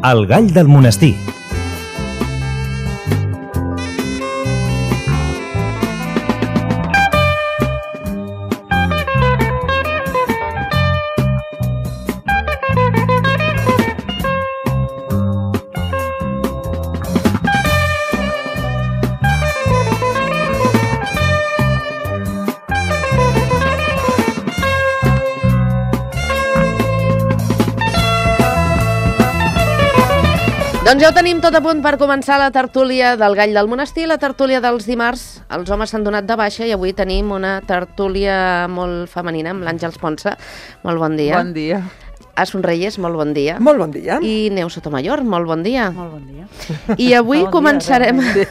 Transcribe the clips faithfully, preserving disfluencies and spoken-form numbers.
El Gall del Monestir. Doncs ja ho tenim tot a punt per començar la tertúlia del Gall del Monestir, la tertúlia dels dimarts. Els homes s'han donat de baixa i avui tenim una tertúlia molt femenina amb l'Àngels Ponsa. Molt bon dia. Bon dia. A Sonreyes, molt bon dia. Molt bon dia. I Neus Sotomayor, molt bon dia. Molt bon dia. I avui bon començarem... Dia,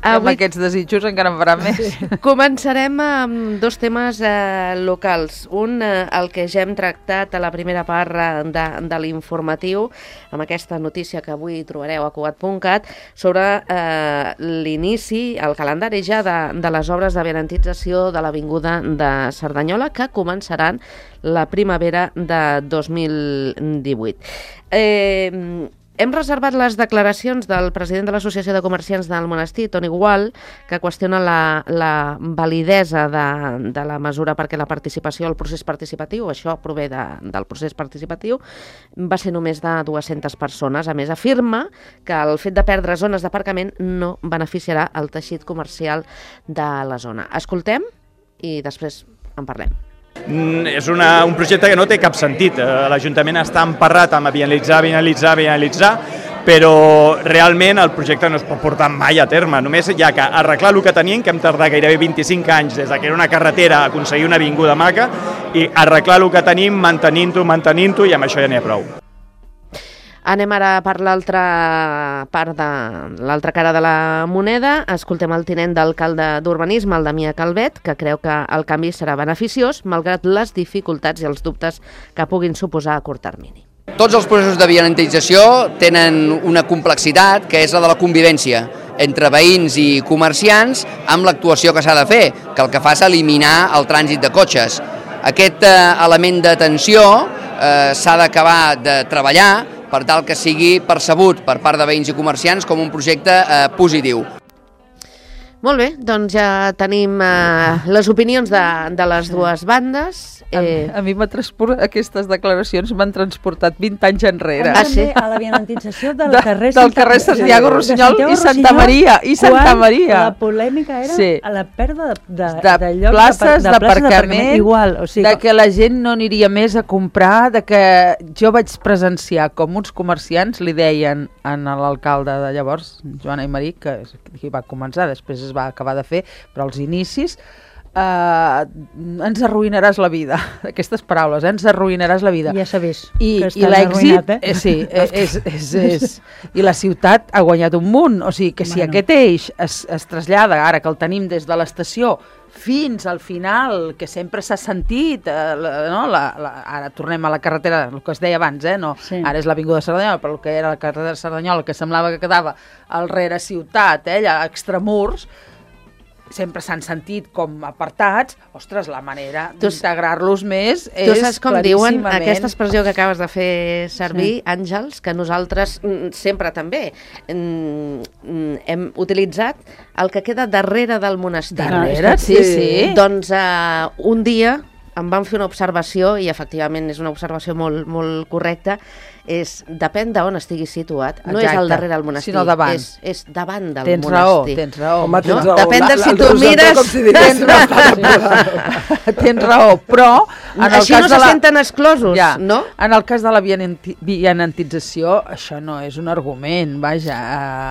avui... Amb aquests desitjos encara en farà més. Sí. Començarem amb dos temes eh, locals. Un, eh, el que ja hem tractat a la primera part de, de l'informatiu, amb aquesta notícia que avui trobareu a cugat punt cat, sobre eh, l'inici, el calendari ja de, de les obres de benentització de l'Avinguda de Cerdanyola, que començaran la primavera de dos mil divuit. Eh... Hem reservat les declaracions del president de l'Associació de Comerciants del Monestir, Toni Gual, que qüestiona la, la validesa de, de la mesura perquè la participació, el procés participatiu, això prové de, del procés participatiu, va ser només de dues-centes persones. A més, afirma que el fet de perdre zones d'aparcament no beneficiarà el teixit comercial de la zona. Escoltem i després en parlem. És una, un projecte que no té cap sentit. L'Ajuntament està emparrat amb bienalitzar, bienalitzar, bienalitzar, però realment el projecte no es pot portar mai a terme. Només hi ha que arreglar el que tenim, que hem tardat gairebé vint-i-cinc anys des que era una carretera a aconseguir una avinguda maca, i arreglar el que tenim, mantenint-ho, mantenint-ho, i amb això ja n'hi ha prou. Anem ara per l'altra part de l'altra cara de la moneda. Escoltem el tinent d'alcalde d'Urbanisme, el Damià Calvet, que creu que el canvi serà beneficiós, malgrat les dificultats i els dubtes que puguin suposar a curt termini. Tots els processos de vianantització tenen una complexitat, que és la de la convivència entre veïns i comerciants amb l'actuació que s'ha de fer, que el que fa és eliminar el trànsit de cotxes. Aquest eh, element d'atenció eh, s'ha d'acabar de treballar per tal que sigui percebut per part de veïns i comerciants com un projecte eh, positiu. Molt bé, doncs ja tenim eh, les opinions de, de les dues bandes. Eh... A, a mi m'ha transport... aquestes declaracions m'han transportat vint anys enrere. Ah, sí? A la vianantització del de, carrer, del carrer Santiago Rossinyol i Santa Maria. I Santa Maria. La polèmica era sí. a la pèrdua de, de, de, de llocs places d'aparcament, igual. O sigui, de que la gent no aniria més a comprar, de que jo vaig presenciar com uns comerciants li deien a l'alcalde de llavors, Joan Aymerich, que hi va començar, després es va acabar de fer, però als inicis, Uh, ens arruïnaràs la vida. Aquestes paraules, eh? Ens arruïnaràs la vida. Ja s'ha vist I, que i l'èxit, eh? eh, sí, és, és, és, i la ciutat ha guanyat un munt, o sigui que si bueno. aquest eix es, es trasllada, ara que el tenim des de l'estació fins al final, que sempre s'ha sentit, eh, la, no? la, la, ara tornem a la carretera, el que es deia abans, eh? no? sí. Ara és l'Avinguda de Cerdanyola, però el que era la carretera de Cerdanyola, que semblava que quedava al rere ciutat, eh? allà a extramurs, sempre s'han sentit com apartats. Ostres, la manera d'integrar-los més és tu saps com diuen aquesta expressió que acabes de fer servir, sí. Àngels, que nosaltres sempre també hem utilitzat el que queda darrere del monestir. Darrere, sí, sí. Doncs uh, un dia em van fer una observació, i efectivament és una observació molt, molt correcta, és, depèn d'on estiguis situat, no Exacte. és al darrere del monestir, sinó davant. És, és davant del tens monestir. Raó, tens raó, Home, tens no? raó. Depèn de la, si la, tu mires... Si tens raó. Tens raó, però... En el Així cas no de se la... senten exclosos, ja, no? En el cas de la vianantització, això no és un argument, vaja.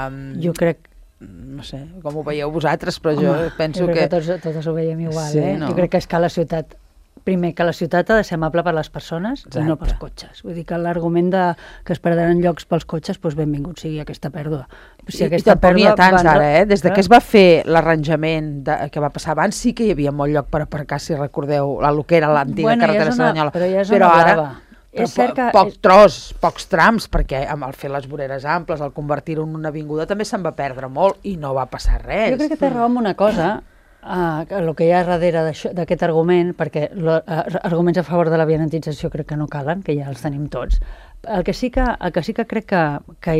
Uh, jo crec no sé com ho veieu vosaltres, però Home, jo penso jo que... que tots, tots ho veiem igual, sí, eh? no? Jo crec que és que la ciutat, primer, que la ciutat ha de ser amable per les persones Exacte. i no pels cotxes. Vull dir que l'argument de que es perdran llocs pels cotxes, doncs benvingut sigui aquesta pèrdua. Si I, i tampoc n'hi ha tants van... ara, eh? Des de que es va fer l'arranjament que va passar abans, sí que hi havia molt lloc per aparcar, si recordeu, el que era l'antiga bueno, carretera ja una, Cerdanyola. Però ja és però una ara, blava. Però és cert que... poc tros, pocs trams, perquè amb el fer les voreres amples, el convertir-ho en una avinguda, també se'n va perdre molt i no va passar res. Jo crec que té raó amb una cosa, Uh, el que hi ha darrere d'aquest argument, perquè lo, uh, arguments a favor de la vianantització crec que no calen, que ja els tenim tots. El que sí que, el que, sí que crec que, que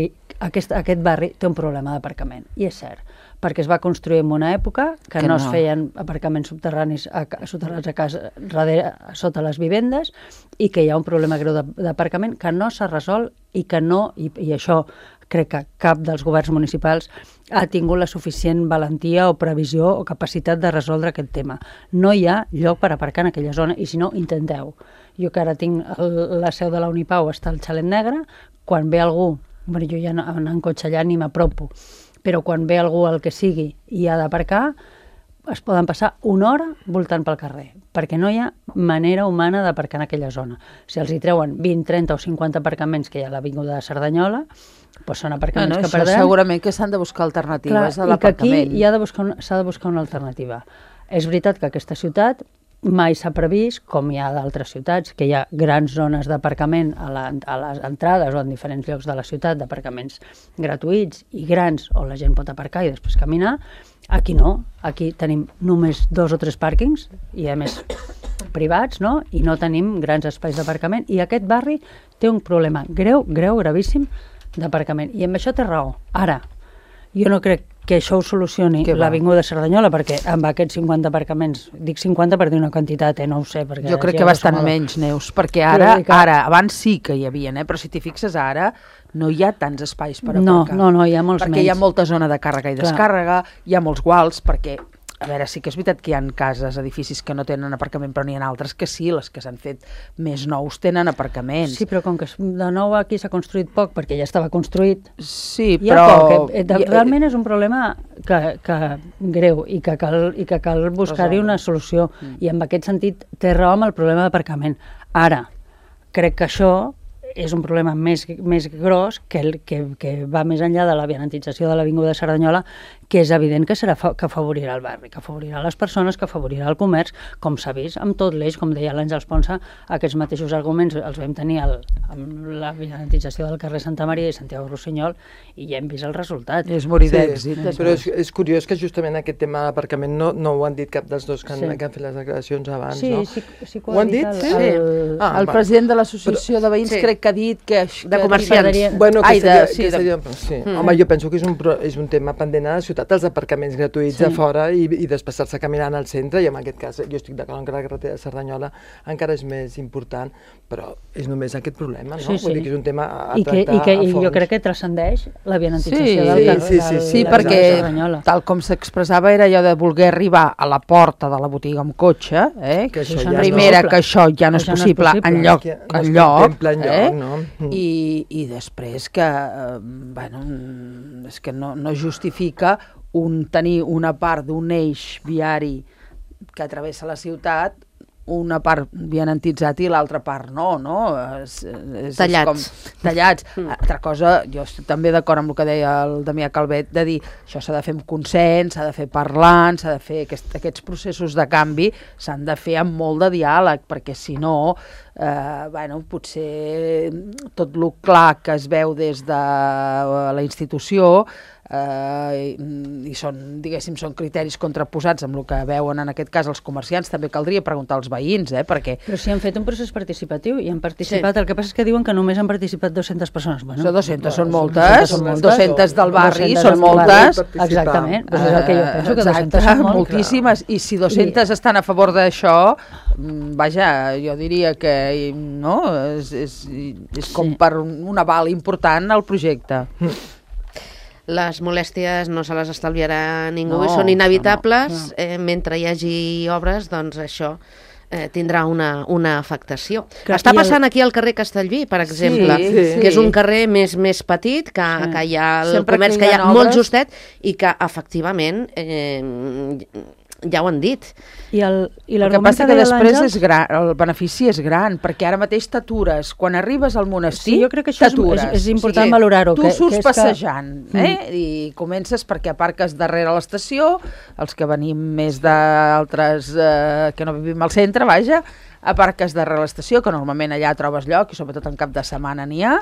aquest, aquest barri té un problema d'aparcament, i és cert, perquè es va construir en una època que, que no, no es feien aparcaments subterranis a, soterrats a casa, darrere, sota les vivendes, i que hi ha un problema greu d'aparcament que no s'ha resolt i que no, i, i això crec que cap dels governs municipals ha tingut la suficient valentia o previsió o capacitat de resoldre aquest tema. No hi ha lloc per aparcar en aquella zona, i si no, intenteu. Jo que ara tinc el, la seu de la Unipau, està al Xalet Negre, quan ve algú, bueno, jo ja no, en cotxe allà ni m'apropo, però quan ve algú el que sigui i ha d'aparcar, es poden passar una hora voltant pel carrer, perquè no hi ha manera humana d'aparcar en aquella zona. Si els hi treuen vint, trenta o cinquanta aparcaments que hi ha a l'Avinguda de Cerdanyola, doncs són aparcaments no, no, que perdran. Segurament que s'han de buscar alternatives a l'aparcament. I que aquí s'ha de, buscar una, de buscar una alternativa. És veritat que aquesta ciutat mai s'ha previst, com hi ha d'altres ciutats, que hi ha grans zones d'aparcament a, la, a les entrades o en diferents llocs de la ciutat, d'aparcaments gratuïts i grans, on la gent pot aparcar i després caminar. Aquí no, aquí tenim només dos o tres pàrquings, i a més privats, no? I no tenim grans espais d'aparcament, i aquest barri té un problema greu, greu, gravíssim d'aparcament, i amb això té raó. Ara, jo no crec que això ho solucioni l'Avinguda de Cerdanyola, perquè amb aquests cinquanta aparcaments, dic cinquanta per dir una quantitat, eh, no ho sé. Perquè jo crec que bastant menys, Neus, perquè ara, ara, abans sí que hi havia, eh, però si t'hi fixes ara, no hi ha tants espais per aparcar. No, no, no, hi ha molts perquè menys. Perquè hi ha molta zona de càrrega i descàrrega, hi ha molts guals, perquè, a veure, sí que és veritat que hi ha cases, edificis que no tenen aparcament, però n'hi ha altres que sí, les que s'han fet més nous tenen aparcaments. Sí, però com que de nou aquí s'ha construït poc, perquè ja estava construït, sí, però... Poc, eh, realment és un problema que, que greu i que cal, i que cal buscar-hi una solució, mm. i en aquest sentit té raó amb el problema d'aparcament. Ara, crec que això és un problema més, més gros que, el, que, que va més enllà de la vianantització de l'Avinguda de Cerdanyola, que és evident que serà fa, que afavorirà el barri, que afavorirà les persones, que afavorirà el comerç, com s'ha vist amb tot l'eix, com deia l'Àngels Ponsa, aquests mateixos arguments els vam tenir el, amb la vianantització del carrer Santa Maria i Santiago Rossinyol, i ja hem vist el resultat. És morir sí, d'èxit. Però és, és curiós que justament aquest tema d'aparcament no, no ho han dit cap dels dos que han, sí. que han fet les declaracions abans, sí, no? Sí, sí que ho, ho han dit? El, sí. el, ah, el president de l'associació de veïns sí. crec que ha dit que... De comerciants. Bueno, que Ai, seria, de, sí, que seria, de... sí. Mm. Home, jo penso que és un, és un tema pendent a la ciutat, els aparcaments gratuïts sí. a fora i, i desplaçar-se caminant al centre, i en aquest cas jo estic d'acord que la carretera de Cerdanyola encara és més important, però és només aquest problema, no? Sí, sí. Vull dir que és un tema a, a I que, tractar i que, a fons. I jo crec que transcendeix la vianantització sí, del, del, sí, sí, del, sí, del, perquè de Cerdanyola. Tal com s'expressava era allò de voler arribar a la porta de la botiga amb cotxe, eh? que això ja ja primera, no, que això ja no és possible, no és possible. en lloc, no en lloc, en lloc eh? no? mm. I, i després que, eh, bueno, és que no, no justifica un, tenir una part d'un eix viari que travessa la ciutat, una part vianantitzat i l'altra part no, no? És, és, tallats. És com, tallats. Mm. Altra cosa, jo estic també d'acord amb el que deia el Damià Calvet, de dir, això s'ha de fer amb consens, s'ha de fer parlant, s'ha de fer aquest, aquests processos de canvi, s'han de fer amb molt de diàleg, perquè si no, eh, bueno, potser tot el clar que es veu des de la institució Uh, i, i són, diguéssim, són criteris contraposats amb el que veuen en aquest cas els comerciants. També caldria preguntar als veïns, eh, perquè... Però si han fet un procés participatiu i han participat, sí. El que passa és que diuen que només han participat dues-centes persones. Bueno, so dues-centes són moltes, són moltes, dues-centes del barri són moltes. moltes. Exactament, doncs és el que jo penso, que dues-centes són molt. Moltíssimes, i si dues-centes I... estan a favor d'això, vaja, jo diria que no, és, és, és com sí. per un aval important al projecte. Les molèsties no se les estalviarà ningú no, i són inevitables. No, no. Eh, mentre hi hagi obres, doncs això eh, tindrà una, una afectació. Que Està passant el... aquí al carrer Castellví, per exemple, sí, sí. que és un carrer més, més petit, que, sí. que hi ha el Sempre comerç que hi ha, que hi ha molt justet i que efectivament... Eh, ja ho han dit. I el, i el que passa que després és gran, el benefici és gran, perquè ara mateix t'atures. Quan arribes al monestir, sí, jo crec que això és, és important o sigui, valorar-ho. Tu que, surts que passejant, que... eh? Mm. I comences perquè aparques darrere l'estació, els que venim més d'altres, eh, que no vivim al centre, vaja, aparques darrere l'estació, que normalment allà trobes lloc, i sobretot en cap de setmana n'hi ha,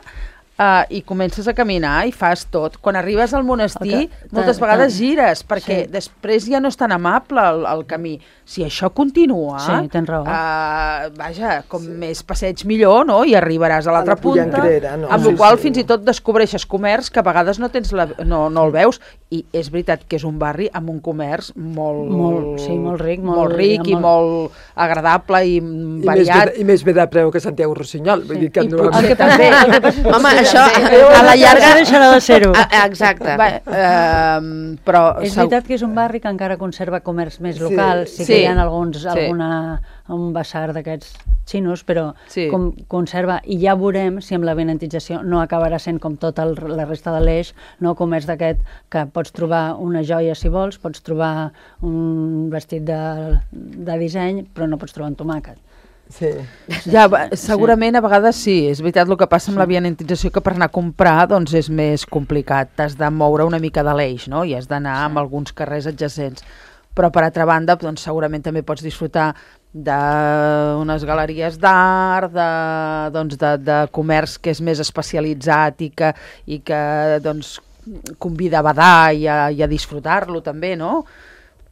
Uh, i comences a caminar i fas tot. Quan arribes al monestir, Okay. moltes Ta- vegades ta- gires, perquè sí. després ja no és tan amable el, el camí. Si això continua, Sí, tens raó. uh, vaja, com sí. més passeig millor, no? I arribaràs a l'altra la punta, Pollancrera, no? amb Sí, la qual sí. fins i tot descobreixes comerç que a vegades no, tens la, no, no el veus, i és veritat que és un barri amb un comerç molt, Molt- sí, molt ric, molt- molt ric i molt- molt agradable i I més, variat. bé, I més bé de preu que Santiago Rossinyol. Vull dir que I no... potser El que passa- també. el que passa és que Home, potser això també- a la llarga... No deixarà de ser-ho. Ah, Exacte. Va, eh, però És segur- veritat que és un barri que encara conserva comerç més Sí, local, sí, sí. que hi ha alguns, Sí. alguna, un basar d'aquests xinos, però Sí. com conserva, i ja veurem si amb la benentització no acabarà sent com tota el, la resta de l'eix, no comerç d'aquest que pots trobar una joia si vols, pots trobar un vestit de, de disseny, però no pots trobar un tomàquet. Sí. Ja, va, segurament a vegades sí, és veritat el que passa amb la vianantització, que per anar a comprar doncs és més complicat, t'has de moure una mica de l'eix, no? I has d'anar amb alguns carrers adjacents, però per altra banda doncs, segurament també pots disfrutar d'unes galeries d'art, de, doncs, de, de comerç que és més especialitzat i que, i que doncs, convida a badar i a, i a disfrutar-lo també, no?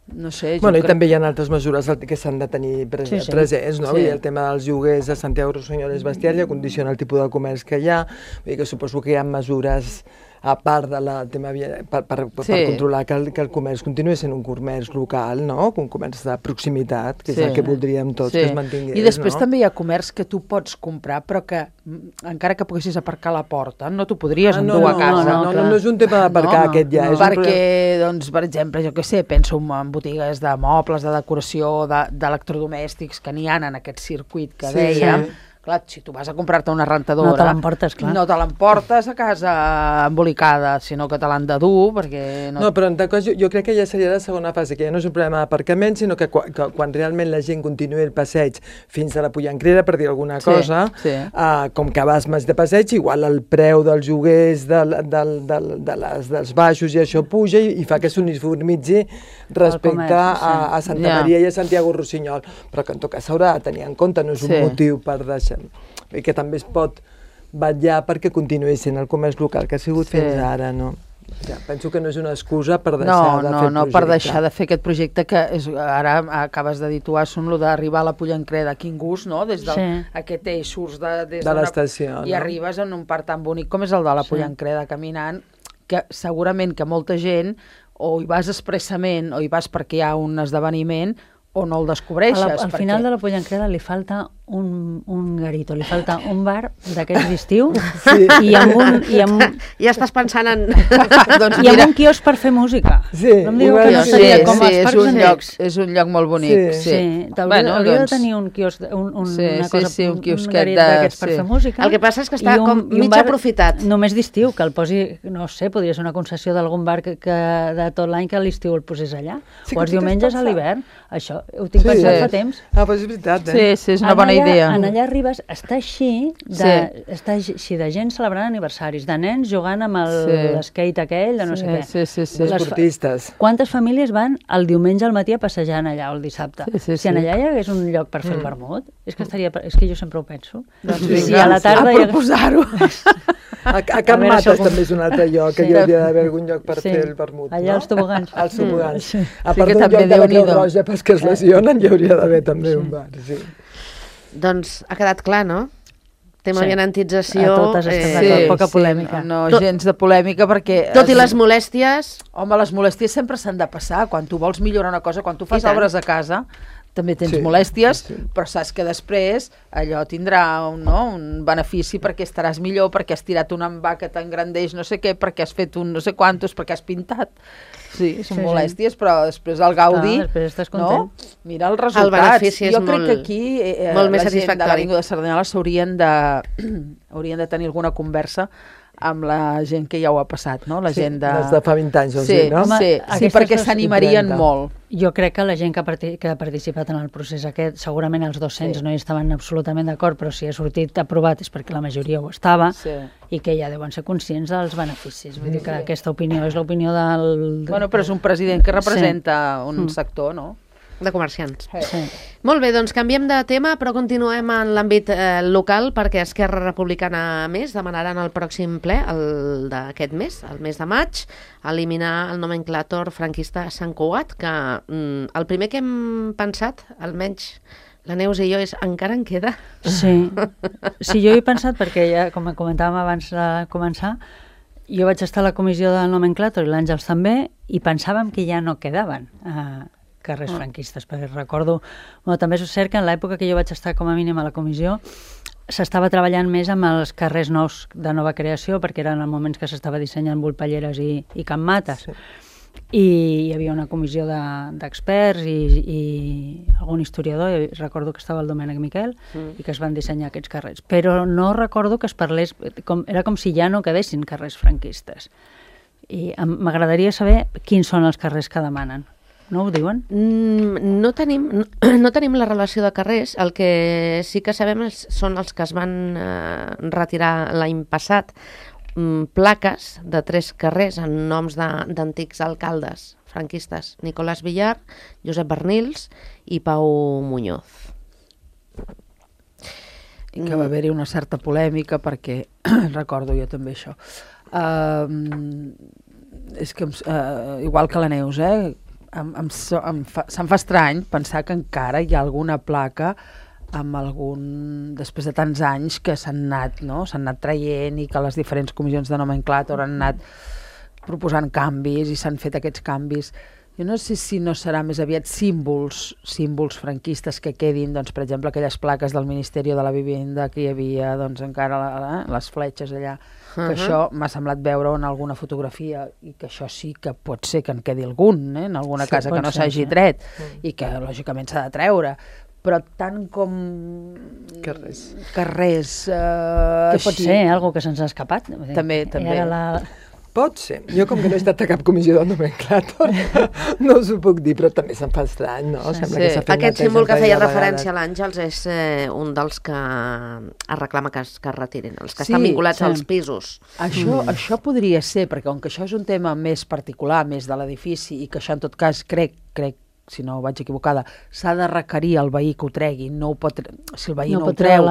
No sé, jo Bueno, i crec... també hi ha altres mesures que s'han de tenir pre Sí, sí. presents, no? Sí. Vull dir, el tema dels lloguers a Santiago Rossinyol és bestial i condiciona el tipus de comerç que hi ha. Vull dir que suposo que hi ha mesures a part de la tema via- per, per, Sí. per controlar que el, que el comerç continuï sent un comerç local, no? Un comerç de proximitat, que Sí. és el que voldríem tots Sí. que es mantingués, I després no? també hi ha comerç que tu pots comprar, però que mm, encara que poguessis aparcar a la porta, no t'ho podries Ah, endur no, a no, casa. no, no, clar. no, no és un tema d'aparcar No, aquest ja. no, És un perquè, problema- doncs, per exemple, jo què sé, penso en botigues de mobles, de decoració, de- d'electrodomèstics que n'hi ha en aquest circuit que Sí, dèiem. sí. Clar, si tu vas a comprar-te una rentadora... No te l'emportes, clar. No te l'emportes a casa embolicada, sinó que te l'han de dur, perquè... No, No, però en tal cas jo, jo crec que ja seria la segona fase, que ja no és un problema d'aparcament, sinó que, quan, que quan realment la gent continuï el passeig fins a la Pollancrera, per dir alguna Sí, cosa, sí. Uh, com que vas més de passeig, igual el preu dels lloguers del, del, del, de les, dels baixos i això puja i, i fa que s'uniformitzi respecte comerç, sí. a, a Santa Ja. Maria i a Santiago Rossinyol, però que en tot cas s'haurà de tenir en compte, no és un Sí. motiu per deixar... I que també es pot vetllar perquè continuï sent el comerç local que ha sigut Sí. fins ara, no? Ja, penso que no és una excusa per deixar no, de no, fer el no, projecte. per deixar de fer aquest projecte que és, ara acabes de dir tu, Assun, lo d'arribar a la Pollancreda, quin gust, no? Des del, Sí. aquest eix surts de, des De d'una- l'estació, i no? arribes en un parc tan bonic com és el de la Sí. Pollancreda, caminant, que segurament que molta gent o hi vas expressament o hi vas perquè hi ha un esdeveniment o no el descobreixes. A la, al perquè... final de la Pollancreda li falta un, un garito, li falta un bar d'aquests d'estiu Sí. i amb un, i amb, Ja estàs pensant en... doncs i amb mira, un quiosc per fer música. Sí, no em digueu igual que no sí, seria sí, com sí, els és parcs un, lloc, antics. és un lloc molt bonic. Sí. Sí, Sí, t'hauria Bueno, hauria doncs, de tenir un quiosc, un, un, Sí, una sí, cosa, sí, un quiosquet garit de- d'aquests per sí. fer música. El que passa és que està i un- com i un mig bar aprofitat. Només d'estiu, que el posi, no sé, podria ser una concessió d'algun bar que, que de tot l'any que a l'estiu el posés allà. Sí, o que els tu t'has diumenges a pensat. l'hivern. Això ho tinc Sí. pensat Sí. fa temps. Ah, però és veritat, eh? Sí, sí, és una En bona allà, idea. En allà arribes, està així, de, Sí. està així de gent celebrant aniversaris, de nens jugant amb Sí. l'skate aquell, de no sé Sí, què. sí, sí, sí. Les fa- Esportistes. Quantes famílies van el diumenge al matí a passejant allà, o el dissabte? Sí, sí, si en sí. allà hi hagués un lloc per fer el vermut, és que estaria... És que jo sempre ho penso. Doncs I si vinga, a la tarda... a hi hagués- proposar-ho. A, a Can veure, Mates això com- també és un altre lloc, que Sí. hi hauria d'haver algun lloc per Sí. fer el vermut, Allà no? als tobogans. Als tobogans. Sí. A Sí part que d'un també lloc de la Creu Déu-n'hi-do. Roja pels que es lesionen, hi hauria d'haver també un bar, sí. Doncs ha quedat clar, no? Tema Sí. vianantització... A totes estem eh, d'acord. poca polèmica. No, Tot- gens de polèmica perquè... Tot i les molèsties... Home, les molèsties sempre s'han de passar. Quan tu vols millorar una cosa, quan tu I fas tant. obres a casa, també tens Sí, molèsties, sí. però saps que després allò tindrà un, no, un benefici perquè estaràs millor, perquè has tirat una envà que t'engrandeix no sé què, perquè has fet un no sé quantos, perquè has pintat. Sí, són Sí, sí. molèsties, però després el gaudi... Clar, després estàs no? content. Mira els resultats. benefici és jo crec molt- que aquí eh, molt més la gent de satisfactori. l'Avinguda de Cerdanyola s'haurien de, haurien de tenir alguna conversa amb la gent que ja ho ha passat, no? La Sí, gent de... les de fa vint anys, vols sí, dir, no? Sí, Home, sí, aquestes perquè dos- s'animarien trenta. molt. Jo crec que la gent que ha, parti que ha participat en el procés aquest, segurament els dos-cents Sí. no hi estaven absolutament d'acord, però si ha sortit aprovat és perquè la majoria ho estava, Sí. i que ja deuen ser conscients dels beneficis. Vull dir que aquesta opinió és l'opinió del... Bueno, però és un president que representa un Mm. sector, no? de comerciants. Sí. Molt bé, doncs canviem de tema, però continuem en l'àmbit eh, local, perquè Esquerra Republicana Més demanaran al pròxim ple, el d'aquest mes, el mes de maig, eliminar el nomenclàtor franquista Sant Cugat, que mm, el primer que hem pensat, almenys la Neus i jo, és encara en queda. Sí, sí, jo he pensat, perquè ja, com comentàvem abans de començar, jo vaig estar a la comissió del nomenclàtor i l'Àngels també, i pensàvem que ja no quedaven eh, carrers oh. franquistes, perquè recordo... Bueno, també és cert que en l'època que jo vaig estar com a mínim a la comissió s'estava treballant més amb els carrers nous de nova creació, perquè eren els moments que s'estava dissenyant Volpelleres i, i Can Mates. Sí. I hi havia una comissió d'experts de, i, i algun historiador, i recordo que estava el Domènec Miquel, mm. i que es van dissenyar aquests carrers. Però no recordo que es parlés... Com, era com si ja no quedessin carrers franquistes. I m'agradaria saber quins són els carrers que demanen. No ho diuen? Mm, no, tenim, no, no tenim la relació de carrers. El que sí que sabem és, són els que es van eh, retirar l'any passat, mm, plaques de tres carrers en noms d'antics alcaldes franquistes, Nicolás Villar, Josep Bernils i Pau Muñoz. I que va haver-hi una certa polèmica perquè, recordo jo també això, uh, és que uh, igual que la Neus, eh? Em, em, em fa, se'm fa estrany pensar que encara hi ha alguna placa amb algun, després de tants anys que s'han anat, no? S'han anat traient i que les diferents comissions de nomenclàtor han anat proposant canvis i s'han fet aquests canvis. Jo no sé si no serà més aviat símbols, símbols franquistes que quedin, doncs, per exemple, aquelles plaques del Ministeri de la Vivenda que hi havia, doncs, encara la, les fletxes allà, que uh-huh. això m'ha semblat veure en alguna fotografia i que això sí que pot ser que en quedi algun, eh? En alguna sí, casa que no s'hagi sí. tret uh-huh. i que lògicament s'ha de treure, però tant com carrers, carrers eh, que pot així... ser algo que se'ns ha escapat. També, també. Era la... Pot ser. Jo, com que no he estat a cap comissió del nomenclàtor, no us ho puc dir, però també se'm fa estrany, no? Sí, Sembla sí. que s'ha fet aquest símbol que feia referència a l'Àngels és eh, un dels que es reclama que es, que es retirin, els que sí, estan vinculats sí. als pisos. Això, mm. això podria ser, perquè com que això és un tema més particular, més de l'edifici, i que això en tot cas crec, crec si no vaig equivocada, s'ha de requerir al veí que ho tregui, no ho pot, si el veí no, no ho treu,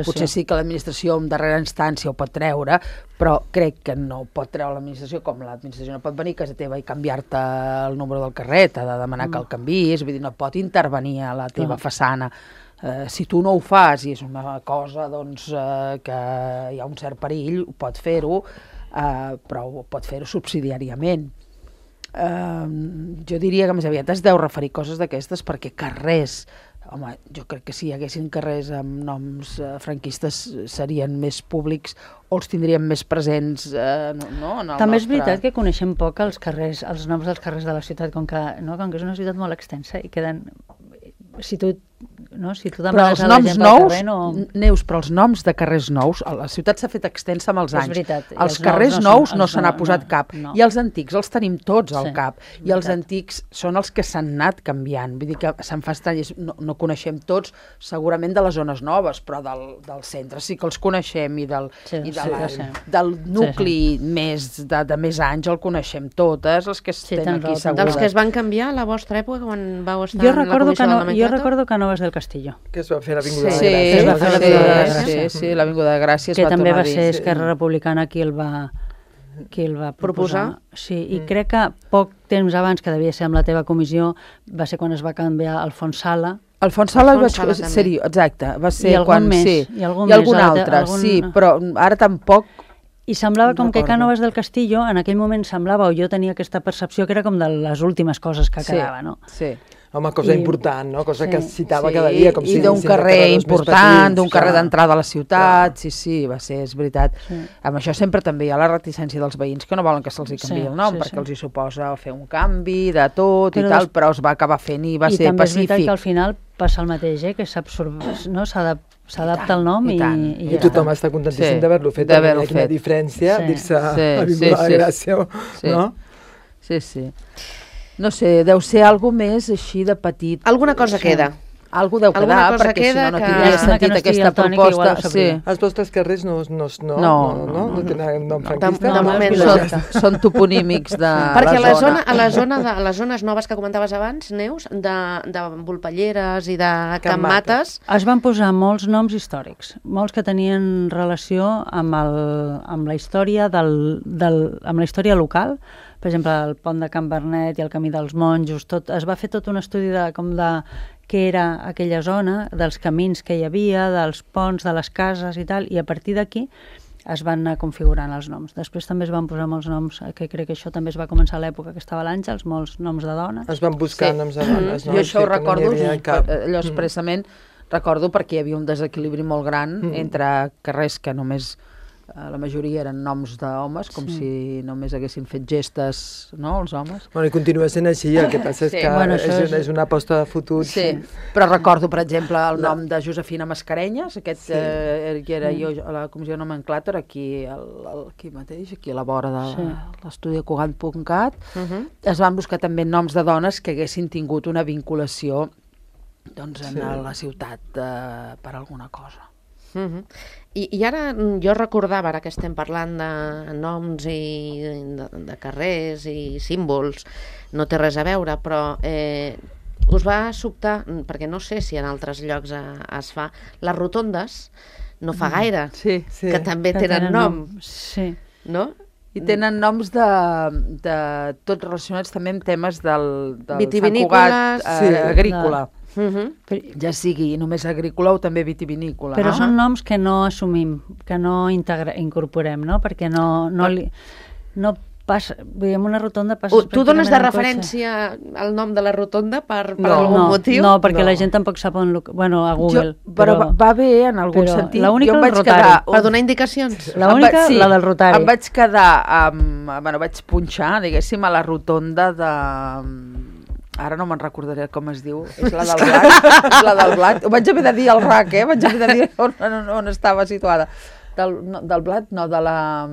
potser sí que l'administració en darrera instància ho pot treure, però crec que no pot treure l'administració, com l'administració no pot venir a casa teva i canviar-te el número del carrer, t'ha de demanar mm. que el canviïs, vull dir, no pot intervenir a la teva mm. façana. Uh, si tu no ho fas i és una cosa doncs, uh, que hi ha un cert perill, pot fer-ho, uh, però pot fer-ho subsidiàriament. Uh, jo diria que més aviat es deu referir coses d'aquestes perquè carrers, home, jo crec que si hi haguessin carrers amb noms uh, franquistes serien més públics o els tindríem més presents uh, no, no, en el també nostre... és veritat que coneixem poc els carrers, els noms dels carrers de la ciutat, com que, no, com que és una ciutat molt extensa i queden... Si tu, no, si tu demanes a la gent pel carrer, no... Neus, però els noms de carrers nous, la ciutat s'ha fet extensa amb els anys. Veritat, els, els carrers nous no se n'ha posat cap. No. I els antics els tenim tots al sí, cap. I els antics són els que s'han anat canviant. Vull dir que se'n fa estrany, no, no coneixem tots, segurament de les zones noves, però del, del centre sí que els coneixem i del, sí, i de sí, la, sí. del nucli sí, sí. més de, de més anys el coneixem totes, els que sí, estem aquí raó, segures. Dels que es van canviar a la vostra època quan vau estar jo en la comissió no, del nomenclàtor? Jo recordo Canovas del Castillo. Que es va fer l'Avinguda sí, de Gràcia. Sí, va fer sí, l'Avinguda de Gràcia. Sí, sí, l'Avinguda de Gràcia es que va també va dir, ser sí. Esquerra Republicana qui el va, qui el va proposar. proposar. Sí, i mm. crec que poc temps abans, que devia ser amb la teva comissió, va ser quan es va canviar Alfons Sala. Alfons Sala va Sala ser, exacte, va ser I algun quan... més, sí, i algun, i algun més, altre, algun... sí, però ara tampoc... I semblava com recordo. que Cánovas del Castillo, en aquell moment semblava, o jo tenia aquesta percepció, que era com de les últimes coses que sí, quedava, no? Sí, Home, cosa I, important, no? Cosa sí, que es citava sí, cada dia. Com i si d'un carrer important, d'un carrer d'entrada a la ciutat, clar. sí, sí, va ser, és veritat. Sí. Amb això sempre també hi ha la reticència dels veïns que no volen que se'ls canviï sí, el nom, sí, perquè sí. els hi suposa fer un canvi de tot però i tal, des... però es va acabar fent i va I ser també és pacífic. veritat que al final passa el mateix, eh? Que no? S'adapta el nom i, i, I, i, i tothom està contentíssim sí, d'haver-lo fet, d'haver-lo quina fet. diferència Sí. dir-se Sí, Avinguda sí, de Gràcia, sí. no? Sí, sí. No sé, deu ser algo més així de petit. Alguna cosa sí. queda. Algú deu quedar, Alguna cosa perquè si queda no, no que- tindria Llàstima sentit que no estigui aquesta el Toni, que igual proposta. ho Sí. sabria. Els vostres carrers no, no, no, No, no, no, no tenen nom franquista? de moment no. no. Són, són toponímics de Perquè a la la zona. zona, a la zona de, a les zones noves que comentaves abans, Neus, de, de Volpelleres i de Can Mates, Es van posar molts noms històrics, molts que tenien relació amb, el, amb la història del, del, amb la història local. Per exemple, el pont de Can Bernet i el camí dels monjos, tot, es va fer tot un estudi de, com de què era aquella zona, dels camins que hi havia, dels ponts, de les cases i tal, i a partir d'aquí es van anar configurant els noms. Després també es van posar molts noms, que crec que això també es va començar a l'època que estava l'Àngels, molts noms de dones. Es van buscar Sí. noms de dones, no? Jo això Sí, ho que no recordo, n'hi havia cap. allò expressament recordo perquè hi havia un desequilibri molt gran Mm. entre carrers que només eh, la majoria eren noms d'homes, com Sí. si només haguessin fet gestes, no?, els homes. Bueno, i continua sent així, el que passa és Sí. que Bueno, és, això una, és- és una aposta de futur. Sí, però recordo, per exemple, el No. nom de Josefina Mascarenyes, aquest Sí. eh, que era jo a la comissió nomenclàtor, aquí, al, al, aquí mateix, aquí a la vora de Sí. l'estudi de Cugat punt cat, uh -huh. es van buscar també noms de dones que haguessin tingut una vinculació doncs, en Sí. la ciutat eh, per alguna cosa. Uh -huh. I, I ara mm, jo recordava, ara que estem parlant de noms i de, de carrers i símbols, no té res a veure, però eh, us va sobtar, mm, perquè no sé si en altres llocs eh, es fa, les rotondes no fa gaire, Sí. Sí. que també Que tenen nom, Sí. no? I tenen noms de, de tots relacionats també amb temes del, del Sant Vitivinícoles. Cugat eh, Sí. agrícola. Uh -huh. Però, Ja sigui només agrícola o també vitivinícola. però no? són noms que no assumim, que no integra, incorporem, no? Perquè no, no, li, no passa... Vull dir, en una rotonda passa... Uh, tu dones de pràcticament en cotxe. referència al nom de la rotonda per, per No. algun no, motiu? No, perquè No. la gent tampoc sap on... lo- Bueno, a Google. Jo, però, va, va bé en algun però sentit. l'única Jo em és el vaig Rotari. quedar... Per donar indicacions? La única, Em va- sí, la del Rotari. Em vaig quedar amb... Bueno, vaig punxar, diguéssim, a la rotonda de... Ara no me'n recordaré com es diu. És la del Blat. És la del Blat. Ho vaig haver de dir al R A C, eh? Vaig haver de dir on, on, on estava situada. Del, no, del Blat, no, de la,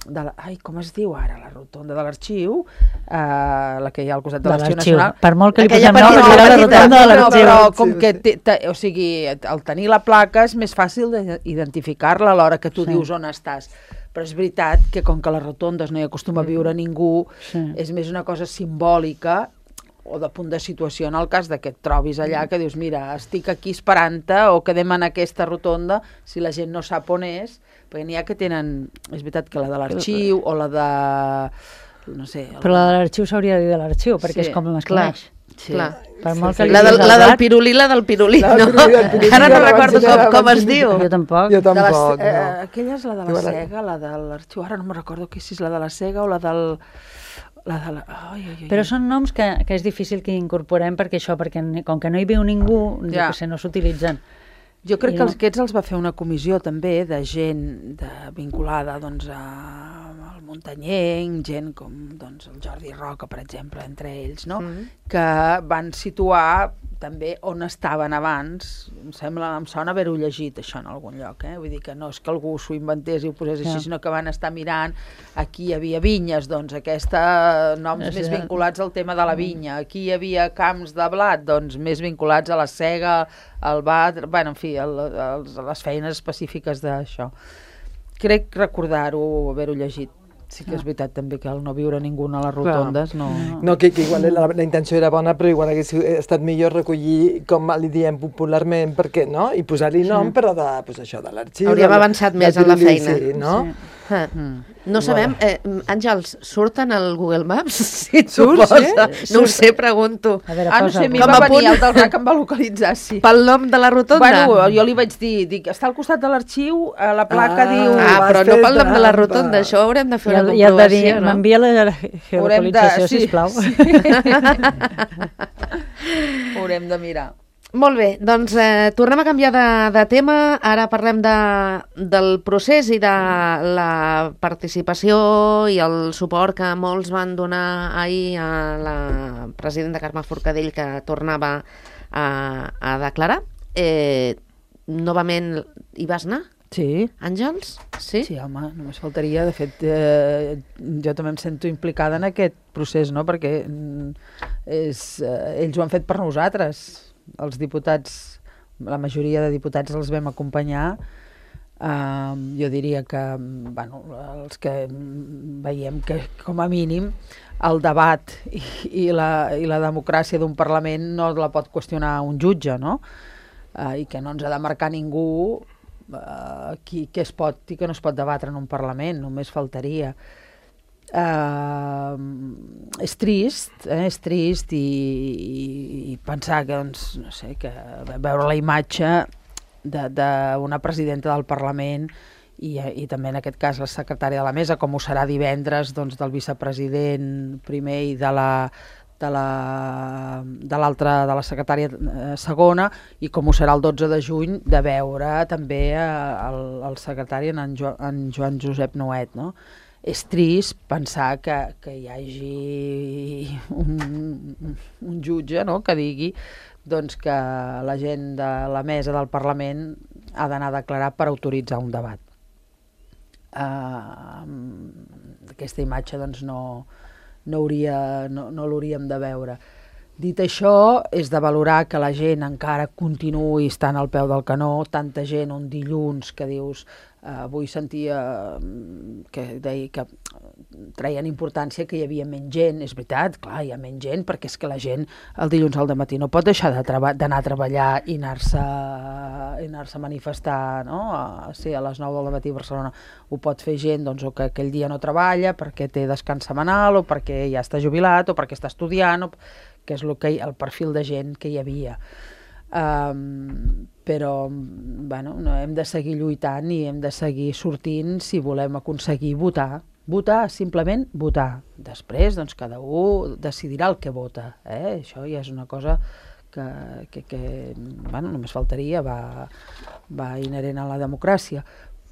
de la... Ai, com es diu ara? La rotonda de l'Arxiu, eh, la que hi ha al costat de, de l'Arxiu l'Arxiu. Nacional. Per molt que li Aquella posem nom, petita- era la petita- rotonda de No, l'Arxiu. però com Sí, que, sí. té, té, o sigui, al tenir la placa és més fàcil d'identificar-la a l'hora que tu Sí. dius on estàs. Però és veritat que com que a les rotondes no hi acostuma a viure ningú, Sí. és més una cosa simbòlica o de punt de situació en el cas de que et trobis allà, que dius, mira, estic aquí esperant-te o quedem en aquesta rotonda, si la gent no sap on és, perquè n'hi ha que tenen, és veritat que la de l'Arxiu o la de... no sé... Però la de l'Arxiu s'hauria de dir de l'Arxiu, perquè Sí, és com es clar. coneix. Sí. Clar. Per molt Sí, que sí. li La del, diguis la al del Blat, pirulí, la del pirulí, La del no? pirulí, el pirulí, Ara no ja la recordo vaig- ja com, la com vaig es dir. diu. Jo tampoc. Jo De la, tampoc, eh, no. aquella és la de la Diu, ara- Sega, la de l'Arxiu, ara no me'n recordo que si és la de la Sega o la del... La de la... Ai, ai, ai. Però són noms que, que és difícil que incorporem perquè això, perquè ni- com que no hi viu ningú, Ja. ja. sé, no s'utilitzen. Jo crec I que no- els, aquests els va fer una comissió també de gent de, vinculada doncs, a, al muntanyenc, gent com doncs, el Jordi Roca, per exemple, entre ells, no? Mhm. Que van situar també on estaven abans. Em sembla, em sona haver-ho llegit això en algun lloc, eh? Vull dir que no és que algú s'ho inventés i ho posés així, Ja. sinó que van estar mirant, aquí hi havia vinyes, doncs aquesta, noms És més cert. vinculats al tema de la vinya, aquí hi havia camps de blat, doncs més vinculats a la sega, al bat, bueno, en fi, el, els, les feines específiques d'això. Crec recordar-ho, haver-ho llegit. Sí que és veritat també que al no viure ningú a les rotondes no... No, que, que igual la, la intenció era bona, però igual hagués estat millor recollir, com li diem popularment, perquè, no? I posar-li nom, però de, pues això, de l'arxiu... Hauríem de- avançat del més en la pirulí, feina. Sí, no? Sí. Ah. Mm. No sabem, eh, Àngels, surten al Google Maps? Si et Surt, suposa. sí? No ho sé, pregunto. A veure, Ah, no sé, a mi Com va a venir punt. el del R A C, em va localitzar, sí. Pel nom de la rotonda? Bueno, jo li vaig dir, dic, està al costat de l'arxiu, a la placa Ah. diu... Ah, però Vas no fer pel nom de la trampa. rotonda, això haurem de fer I una el, i el de dir, comprovació, no? m'envia la geolocalització, sí, sisplau. Haurem de mirar. Molt bé, doncs eh, tornem a canviar de, de tema. Ara parlem de, del procés i de la participació i el suport que molts van donar ahir a la presidenta Carme Forcadell, que tornava a, a declarar. Eh, novament hi vas anar, Sí. Àngels? Sí? Sí, home, només faltaria. De fet, eh, jo també em sento implicada en aquest procés, no? Perquè mm, és, eh, ells ho han fet per nosaltres. els diputats, la majoria de diputats els vam acompanyar. Uh, jo diria que, bueno, els que veiem que, com a mínim, el debat i, i, la, i la democràcia d'un Parlament no la pot qüestionar un jutge, no? Uh, I que no ens ha de marcar ningú uh, qui, què es pot i què no es pot debatre en un Parlament, només faltaria. Uh, és trist, eh? és trist i, i, i pensar que, doncs, no sé, que veure la imatge d'una presidenta del Parlament i, i també en aquest cas la secretària de la mesa, com ho serà divendres, doncs, del vicepresident primer i de la de la de l'altra, de la secretària eh, segona, i com ho serà el dotze de juny de veure també eh, el, el secretari en, jo, en Joan Josep Nuet, no? És trist pensar que, que hi hagi un, un jutge, no?, que digui doncs, que la gent de la mesa del Parlament ha d'anar a declarar per autoritzar un debat. Uh, aquesta imatge doncs, no, no, hauria, no, no l'hauríem de veure. Dit això, és de valorar que la gent encara continuï estant al peu del canó, tanta gent un dilluns que dius, uh, avui sentia que deia que treien importància que hi havia menys gent. És veritat, clar, hi ha menys gent, perquè és que la gent el dilluns al dematí no pot deixar d'anar a treballar i anar-se anar-se a manifestar, no? A, sí, a les nou del matí a Barcelona. Ho pot fer gent doncs, o que aquell dia no treballa perquè té descans setmanal, o perquè ja està jubilat, o perquè està estudiant, o que és el, que, el perfil de gent que hi havia. Um, però bueno, no, hem de seguir lluitant i hem de seguir sortint si volem aconseguir votar. Votar, simplement votar. Després, doncs, cada un decidirà el que vota. Eh? Això ja és una cosa que, que, que bueno, només faltaria, va, va inherent a la democràcia.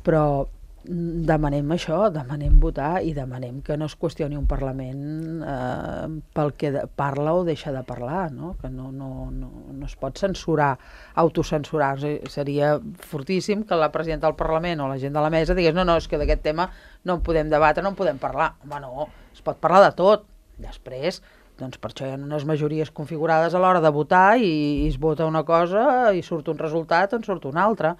Però demanem això, demanem votar i demanem que no es qüestioni un Parlament eh, pel que de, parla o deixa de parlar, no? Que no, no, no, no es pot censurar, autocensurar. Seria fortíssim que la presidenta del Parlament o la gent de la mesa digués no, no, és que d'aquest tema no en podem debatre, no en podem parlar. Home, no, es pot parlar de tot. Després, doncs per això hi ha unes majories configurades a l'hora de votar i, i es vota una cosa i surt un resultat o en surt una altra.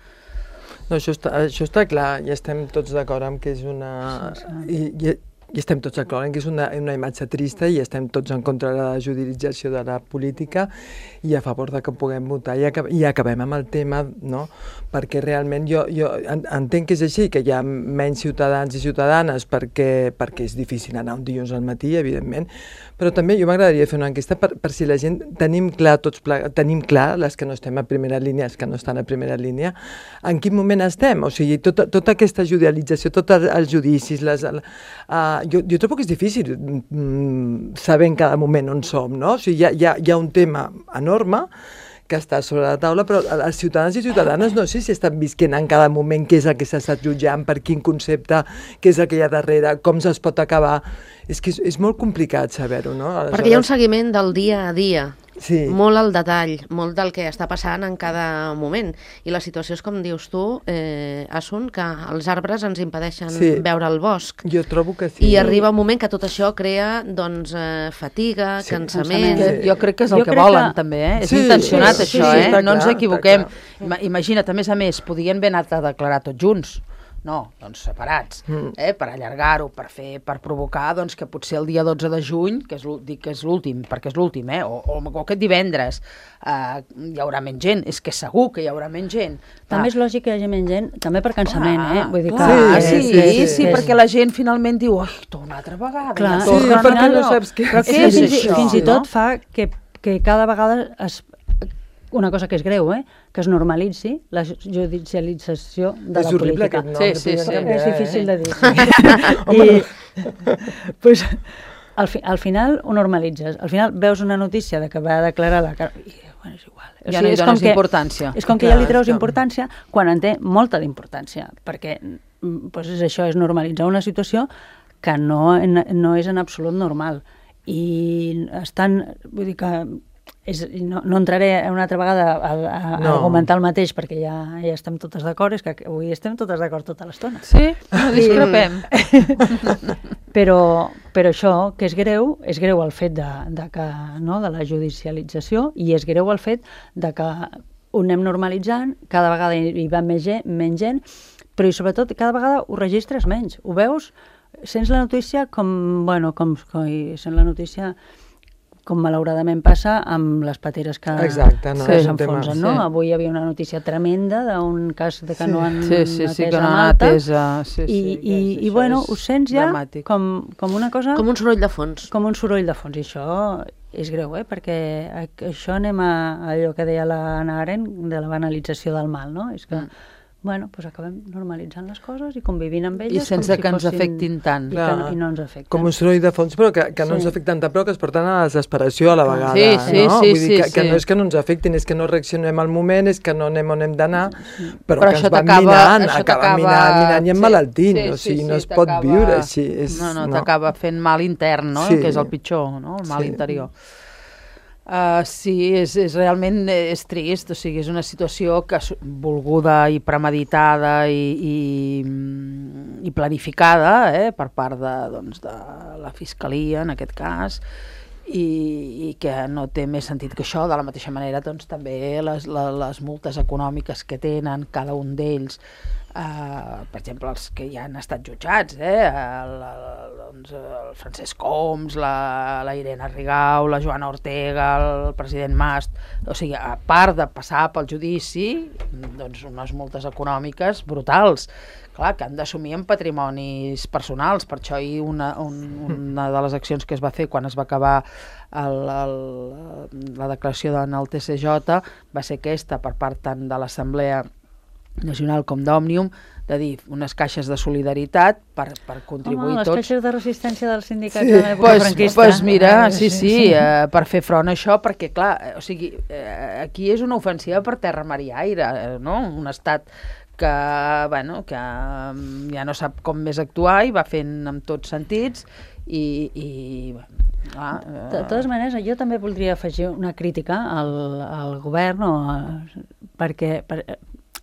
No, això està, això està clar, i estem tots d'acord amb que és una... I, i, i estem tots d'acord en que és una, una imatge trista i estem tots en contra de la judicialització de la política i a favor de que puguem votar i, acab i acabem amb el tema, no? Perquè realment jo, jo entenc que és així, que hi ha menys ciutadans i ciutadanes perquè, perquè és difícil anar un dilluns al matí, evidentment, però també jo m'agradaria fer una enquesta per, per si la gent tenim clar, tots tenim clar, les que no estem a primera línia, els que no estan a primera línia, en quin moment estem. O sigui, tota, tota aquesta judicialització, tots els judicis, les, uh, jo, jo trobo que és difícil mm, saber en cada moment on som, no? O sigui, hi ha, hi ha, hi ha un tema enorme que està sobre la taula, però els ciutadans i ciutadanes no sé si estan visquent en cada moment què és el que s'ha estat jutjant, per quin concepte, què és el que hi ha darrere, com es pot acabar. És que és, és molt complicat saber-ho, no? Aleshores... Perquè hi ha un seguiment del dia a dia, sí. Molt al detall, molt del que està passant en cada moment. I la situació és, com dius tu, eh, Asun, que els arbres ens impedeixen sí. veure el bosc. Jo trobo que sí. I arriba un moment que tot això crea doncs, eh, fatiga, sí. cansament... Sí. Jo crec que és el jo que volen, que... també, eh? És sí, intencionat, sí, això, sí, eh? No ens equivoquem. Imagina't, a més a més, podien haver anat a declarar tots junts. No, doncs separats, mm. eh, per allargar-ho, per fer, per provocar doncs, que potser el dia dotze de juny, que és dic que és l'últim, perquè és l'últim, eh, o, o, o aquest divendres, eh, hi haurà menys gent, és que segur que hi haurà menys gent. També ah. és lògic que hi hagi menys gent, també per cansament, ah, eh? Vull dir clar, que, sí, sí, sí, sí, sí, perquè la gent finalment diu, oi, torna una altra vegada, clar, ja torna, sí, perquè no saps què és. Però fins, això, fins i tot no? fa que, que cada vegada es... una cosa que és greu, eh? Que es normalitzi la judicialització de és la horrible política. Aquest nom, sí, sí, sí. És eh? difícil de dir. Sí. I, pues, al, fi, al final ho normalitzes. Al final veus una notícia de que va declarar la... I, bueno, és igual. O ja sigui, no hi dones importància. És com que Clar, ja li treus importància quan en té molta d'importància, perquè pues, és això, és normalitzar una situació que no, no és en absolut normal. I estan... Vull dir que és, no, no entraré una altra vegada a, a, a No. argumentar el mateix, perquè ja, ja estem totes d'acord, és que avui estem totes d'acord tota l'estona. Sí? No discrepem. Però, però això, que és greu, és greu el fet de, de, que, no, de la judicialització, i és greu el fet de que ho anem normalitzant, cada vegada hi va més gent, menys gent, però i sobretot cada vegada ho registres menys. Ho veus, sents la notícia com, bueno, com, com sents la notícia com malauradament passa amb les pateres que, Exacte, no, que és un tema, s'enfonsen, no? sí. Avui hi havia una notícia tremenda d'un cas de que Sí. no han Sí, sí, sí, atès que no a han Malta, atès a... Sí, i, sí, i, que i això bueno, és ho sents ja dramàtic. com, com una cosa... Com un soroll de fons. com un soroll de fons, i això és greu, eh? Perquè a- això anem a, a allò que deia la Hannah Arendt de la banalització del mal, no? És que, Mm. bueno, doncs acabem normalitzant les coses i convivint amb I elles sense com si que ens fossin- afectin tant. i, que, Clar. no- i no ens afecten. Com un soroll de fons, però que, que no Sí. ens afecten tant, però que es porten a la desesperació a la vegada. Sí, sí, no? sí, Vull dir que, sí, que sí. no és que no ens afectin, és que no reaccionem al moment, és que no anem on hem d'anar, però, Però que això ens van t'acaba- minant, això acaba t'acaba- minant, minant i sí, emmalaltint. sí, O sigui, sí, no sí, es pot t'acaba- viure així. És, No, no, t'acaba fent mal intern, no? Sí. Que és el pitjor, no? El mal Sí. interior. Uh, sí, és, és realment és trist, o sigui, és una situació que s- volguda i premeditada i, i, mm, i planificada eh, per part de, doncs, de la Fiscalia, en aquest cas, i, i que no té més sentit que això. De la mateixa manera, doncs, també les, les, les multes econòmiques que tenen cada un d'ells, Uh, per exemple, els que ja han estat jutjats, eh? el, el, doncs, el Francesc Homs, la, la Irene Rigau, la Joana Ortega, el president Mas, o sigui, a part de passar pel judici, doncs unes multes econòmiques brutals, clar, que han d'assumir en patrimonis personals. Per això ahir una, un, una de les accions que es va fer quan es va acabar el, el, la declaració en el T C J va ser aquesta, per part tant de l'Assemblea Nacional com d'Òmnium, de dir unes caixes de solidaritat per, per contribuir Home, les tots. caixes de resistència dels sindicats Sí. de l'època Pues, franquista. pues mira, Ah, sí, sí, eh, per fer front a això, perquè clar, eh, o sigui, eh, aquí és una ofensiva per terra, mar i aire, eh, no? Un estat que, bueno, que mm, ja no sap com més actuar i va fent en tots sentits i, i bueno, clar, eh, De totes maneres, jo també voldria afegir una crítica al, al govern, o a, perquè, per,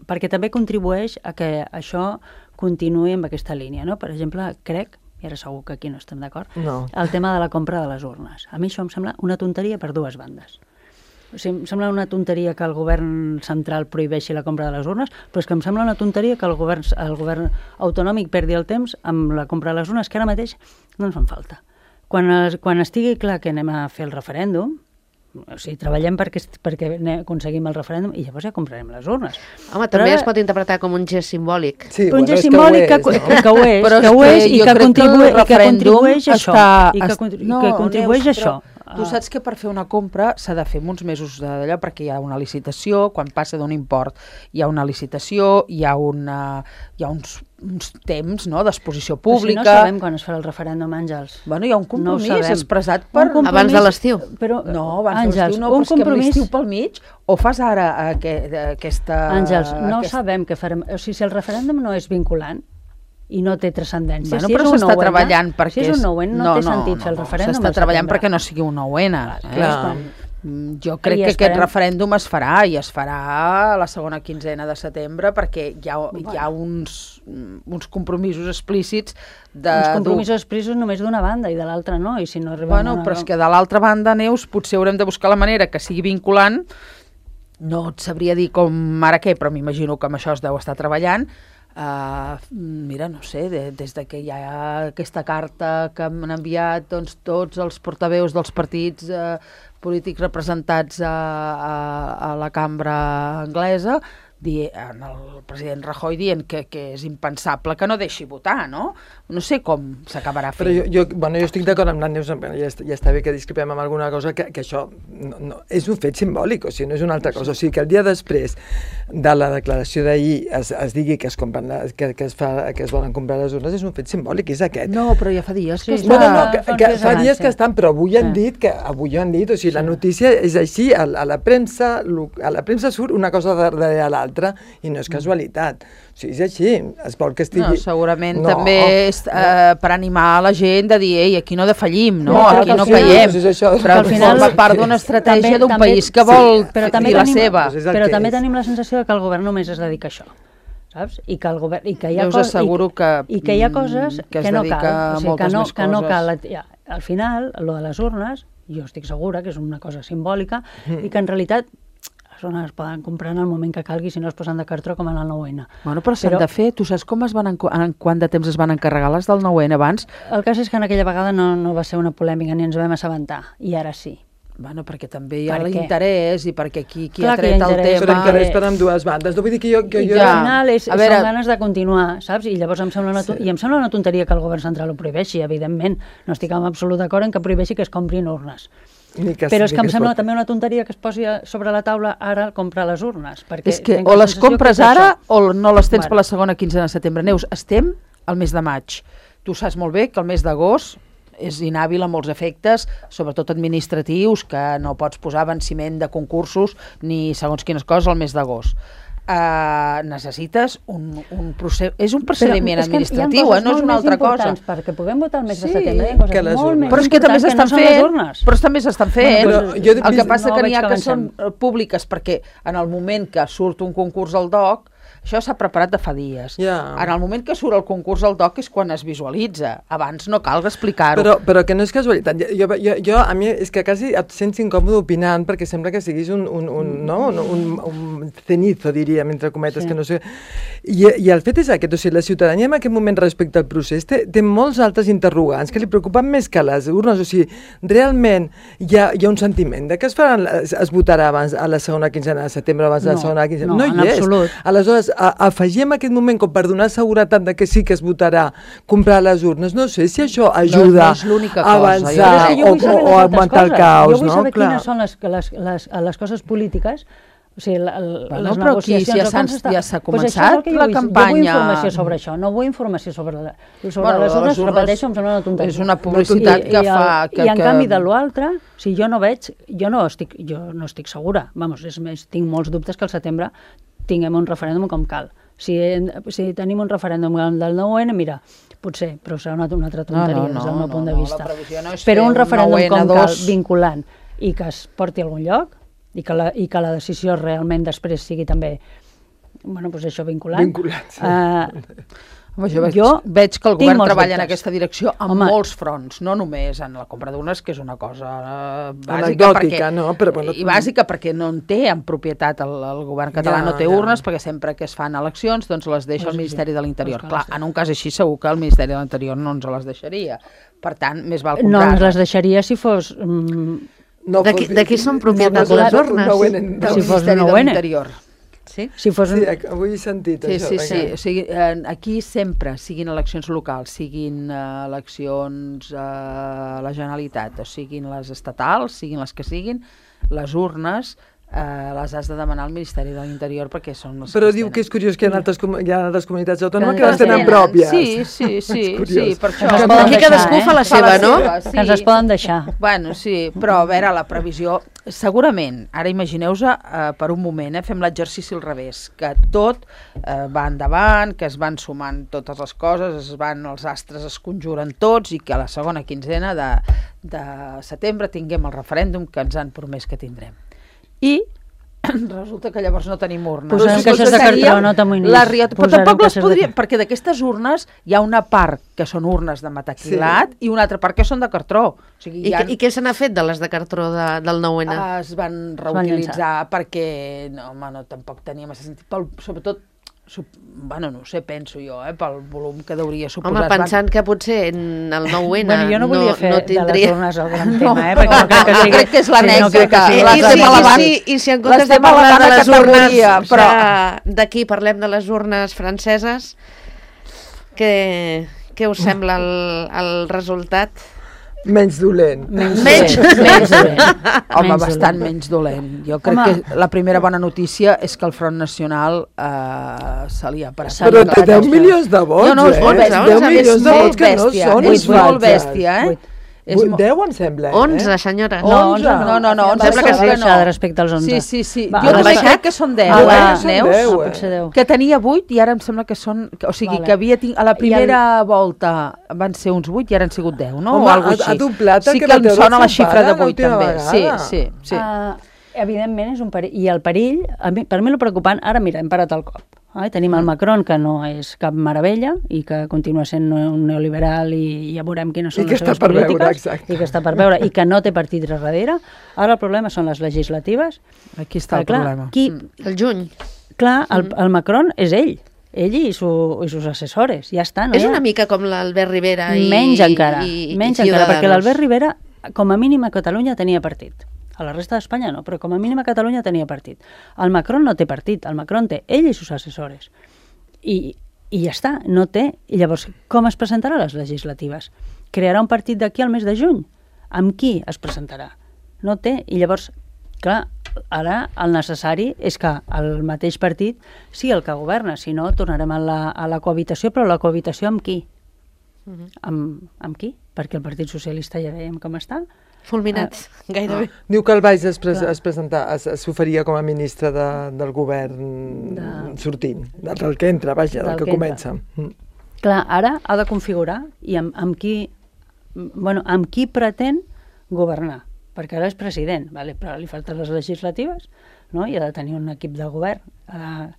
perquè també contribueix a que això continuï amb aquesta línia, no? Per exemple, crec, i ara segur que aquí no estem d'acord, No. el tema de la compra de les urnes. A mi això em sembla una tonteria per dues bandes. O sigui, em sembla una tonteria que el govern central prohibeixi la compra de les urnes, però és que em sembla una tonteria que el govern, el govern autonòmic perdi el temps amb la compra de les urnes, que ara mateix no ens fan falta. Quan, es, quan estigui clar que anem a fer el referèndum, o sigui, treballem perquè, perquè ne- aconseguim el referèndum i llavors ja comprarem les urnes. Home, Però també ara- es pot interpretar com un gest simbòlic. Sí, Però un gest és simbòlic que, ho és, que, que ho és, Però que és ho és que i jo que, crec que el contribueix, i que referèndum contribueix a això. està- I que, es- contri- no, que contribueix Neus, a això. però tu saps que per fer una compra s'ha de fer uns mesos d'allò, perquè hi ha una licitació, quan passa d'un import hi ha una licitació, hi ha, una, hi ha uns, uns temps, no?, d'exposició Però si pública. no sabem quan es farà el referèndum, Àngels. Bueno, hi ha un No ho compromís sabem. expressat per... Un compromís- Abans de l'estiu. Però, No, abans Àngels, de l'estiu no, un però és que amb compromís... l'estiu pel mig o fas ara aquest, aquesta... Àngels, no aquest... sabem què farem. O sigui, si el referèndum no és vinculant i no té transcendència, Bueno, si però és un s'està nou N, treballant perquè... si és un nou N no, no té sentit fer el no, referèndum S'està al treballant setembre. perquè no sigui un nou N. Eh? Clar. Mm, Jo crec I que esperem- aquest referèndum es farà i es farà a la segona quinzena de setembre perquè hi ha, hi ha uns, uns compromisos explícits de... Uns compromisos expressos només d'una banda i de l'altra no, i si no arribem Bueno, a... però és que de l'altra banda, Neus, potser haurem de buscar la manera que sigui vinculant. No et sabria dir com ara què, però m'imagino que amb això es deu estar treballant. Uh, mira, no sé, de, des de que hi ha aquesta carta que m'han enviat doncs, tots els portaveus dels partits uh, polítics representats a, a, a la cambra anglesa, di, en el president Rajoy dient que, que és impensable que no deixi votar, no? No sé com s'acabarà fent. Però jo, jo, bueno, jo estic d'acord amb la Neus, ja està, ja està bé que discrepem amb alguna cosa, que, que això no, no, és un fet simbòlic, o sigui, no és una altra cosa. O sigui, que el dia després de la declaració d'ahir es, es digui que es, compren, que, que, es fa, que es volen comprar les urnes, és un fet simbòlic, és aquest. No, però ja fa dies que Sí, està... No, no, no, que, fa uns que dies fa abans, dies sí. que estan, però avui han Sí. dit que avui han dit, o sigui, la notícia és així, a, a la premsa, a la premsa surt una cosa darrere l'altra. l'altre, i no és casualitat. O sigui, és així, es vol que estigui... No, segurament no. també és eh, per animar la gent de dir, ei, aquí no defallim, no? No, Aquí no final- caiem, és això. però al final- forma part d'una estratègia També- d'un també- país que vol però també dir la tenim- seva. Doncs és el Però que també és. tenim la sensació de que el govern només es dedica a això, saps? I que el govern... I que hi ha Jo us cos- asseguro i, que, I que hi ha mm, coses que es que no dedica cal. a O sigui, que moltes no, més que no coses. cal... Ja, al final, lo de les urnes, jo estic segura que és una cosa simbòlica Mm. i que en realitat les urnes es poden comprar en el moment que calgui si no es posen de cartró com en el nou ene. Bueno, però s'han Però- de fer. Tu saps com es van enco- en quant de temps es van encarregar les del nou ene abans? El cas és que en aquella vegada no, no va ser una polèmica ni ens vam assabentar, i ara sí. Bueno, perquè també hi ha Per què? l'interès i perquè qui, qui Clar ha que hi ha tret el interès, Però tema... encara és per amb dues bandes. No vull dir que jo... Que I jo... que Ja. al final és, A veure- són ganes de continuar, saps? I llavors em sembla una, to- i em sembla una tonteria que el govern central ho prohibeixi, evidentment. No estic en absolut d'acord en que prohibeixi que es comprin urnes. Ni que, Però és ni que em es sembla pot. també una tonteria que es posi a- sobre la taula ara el comprar les urnes. Perquè És que tinc o la les sensació compres que és ara això. o no les tens Bueno. per la segona quinzena de setembre. Neus, estem al mes de maig. Tu saps molt bé que el mes d'agost és inhàbil a molts efectes, sobretot administratius, que no pots posar venciment de concursos ni segons quines coses al mes d'agost. Uh, necessites un, un procés... És un procediment Però és que administratiu, hi ha eh? No és coses una molt altra més cosa. importants perquè puguem votar el mes Sí, de setembre. Hi ha coses que les molt urnes. més Però és que també importants s'estan no són les fent, urnes. però també s'estan fent. Bueno, però jo he el que vist- passa no que n'hi veig ha que que són avancem. eh, públiques perquè en el moment que surt un concurs al D O C, això s'ha preparat de fa dies. Ja. En el moment que surt el concurs al D O C és quan es visualitza. Abans no cal explicar-ho. Però, però que no és casualitat. Jo, jo, jo, a mi és que quasi et sents incòmode opinant perquè sembla que siguis un, un, un, no? un, un, un cenizo, diríem, entre cometes, Sí. que no sé... I, I el fet és aquest, o sigui, la ciutadania en aquest moment respecte al procés té, té molts altres interrogants que li preocupen més que les urnes. O sigui, realment hi ha, hi ha un sentiment de que es, faran, es, es votarà abans a la segona quinzena de setembre, abans de la No, segona quinzena. no, No, en hi és. absolut. Aleshores, a, afegim aquest moment com per donar seguretat de que sí que es votarà comprar les urnes. No sé si això ajuda no és l'única a cosa, avançar jo crec que jo o, vull saber o, les o altres augmentar el coses. caos, Jo vull no? saber Clar. quines són les, les, les, les coses polítiques, o sigui, la, la, Bueno, les però aquí negociacions... ja o com s'ha- s'està- ja s'ha Pues això és començat el que jo la vull. campanya. Jo vull informació sobre això, no vull informació sobre, la, sobre Bueno, les les urnes, urnes repeteixo, em sembla una tonteria. és una publicitat I, que i, fa- el, que- I en que- canvi de l'altre, si jo no veig, jo no estic, jo no estic segura, vamos, és més, tinc molts dubtes que al setembre tinguem un referèndum com cal. Si, si tenim un referèndum del nou ene, mira, potser, però serà una, una altra tonteria No, no, des del no, meu no, punt de no, vista. la previsió no és Però fer un un referèndum nou ene com cal, dos. vinculant, i que es porti a algun lloc, i que la, i que la decisió realment després sigui també, bueno, doncs això, vinculant. Vinculat, sí. Uh, Home, jo veig, Jo veig que el tinc govern molts treballa en dubtes. aquesta direcció en Home. molts fronts, no només en la compra d'urnes, que és una cosa eh, bàsica, Anecdòtica, perquè, no? Però, bueno, i bàsica perquè no en té en propietat el, el govern català, Ja, no té ja. urnes, perquè sempre que es fan eleccions doncs les deixa Pues el sí, Ministeri de l'Interior. pues Clar, clar, sí. en un cas així segur que el Ministeri de l'Interior no ens les deixaria. Per tant, més val no comprar. ens les deixaria si fos... Mm, No De qui- fos- de qui són no propietat fos les un urnes? nou ene. del si fos Ministeri una de U N. l'Interior. Sí? si fos un... Sí, avui he sentit Sí, això. sí, sí. vinga. O sigui, eh, aquí sempre, siguin eleccions locals, siguin eh, eleccions eh, a la Generalitat, o siguin les estatals, siguin les que siguin, les urnes eh, les has de demanar al Ministeri de l'Interior perquè són les Però que diu tenen. que és curiós que hi ha altres, com- hi ha altres comunitats autònomes Que que les tenen tenen. pròpies. Sí, sí, sí, És sí, curiós. per això. Que es poden Aquí deixar, cadascú eh? fa la Fa seva, la no? seva, Que ens les poden deixar. Bueno, sí, però a veure, la previsió... Segurament, ara imagineu-vos eh, per un moment, eh, fem l'exercici al revés, que tot eh, va endavant, que es van sumant totes les coses, es van, els astres es conjuren tots i que a la segona quinzena de, de setembre tinguem el referèndum que ens han promès que tindrem. I resulta que llavors no tenim urnes. Posarem Doncs caixes de seria cartró, no t'amoïnis. la riot- Però Posarem tampoc les caixes de podríem, cartró. perquè d'aquestes urnes hi ha una part que són urnes de metacrilat sí. i una altra part que són de cartró. O sigui, I, hi ha, què- I què se n'ha fet de les de cartró de, del nou ene? es van van reutilitzar perquè no, home, no, tampoc tenia massa sentit, pel, sobretot Sup, bueno, no ho sé, penso jo, eh, pel volum que deuria suposar. Home, pensant que potser en el nou ene Bueno, jo no volia fer no de tindria... les urnes el gran No, tema, eh? Perquè no crec que jo sigui... crec que és l'anècdota. no crec que sigui I, Les i, estem si, i, elevant- si, I si en comptes de l'estem parlar de elevant a les urnes categoria, però- de- d'aquí parlem de les urnes franceses, què, què us sembla el, el resultat? Menys dolent. Menys, Menys- dolent, menys dolent. Home, Menys bastant dolent. menys dolent. Jo crec Home. que la primera bona notícia és que el Front Nacional eh, se li ha parat. Però té deu Això. milions de vots, No, no, és eh? molt bèstia. deu és milions de molt vots que no bèstia, són és molt inflables. bèstia, eh? Vuit. deu em sembla, eh? onze, senyora. No, onze, no, no, no, onze sembla que segur que sí, no. respecte als onze. Sí, sí, sí. Va, jo ha també baixat? crec que són deu, Ah, eh, va, són Neus? deu, Ah, potser deu. Que tenia vuit i ara em sembla que són... O sigui, Vale. que havia ting... a la primera volta van ser uns vuit i ara han sigut deu, no? Home, o alguna ha- cosa ha així. doblat el sí que que va em treure sona el la seu xifra de pare vuit, l'última també. Sí, vegada. sí, sí. Uh, evidentment és un perill. I el perill, a mi, per mi el preocupant, ara mira, hem parat el cop. Eh? Tenim el Macron, que no és cap meravella i que continua sent un neoliberal i ja veurem quines són I que les està seves per veure, polítiques. exacte. I que està per veure, i que no té partit darrere. Ara el problema són les legislatives. Aquí està el Clar, problema. Qui, El juny. clar, el, el Macron és ell. Ell i, su, i sus assessores, ja està. No És hi ha- una mica com l'Albert Rivera i Menys encara, i, menys i encara, perquè Ciudadanos. l'Albert Rivera, com a mínim a Catalunya, tenia partit. A la resta d'Espanya no, però com a mínim a Catalunya tenia partit. El Macron no té partit, el Macron té ell i sus assessores. I, i ja està, no té. I llavors, com es presentarà a les legislatives? Crearà un partit d'aquí al mes de juny? Amb qui es presentarà? No té. I llavors, clar, ara el necessari és que el mateix partit sigui el que governa, si no tornarem a la, a la cohabitació, però la cohabitació amb qui? Mhm. Amb, amb qui? Perquè el Partit Socialista ja veiem com està. Fulminats, gairebé. Diu que el Valls es, pres Clar. es presenta, es, es s'oferia com a ministre de, del govern De- sortint, del, del que entra, vaja, del, Del que, que comença. Mm. Clar, ara ha de configurar i amb, amb qui bueno, amb qui pretén governar, perquè ara és president, vale? Però li falten les legislatives, no? I ha de tenir un equip de govern. Uh,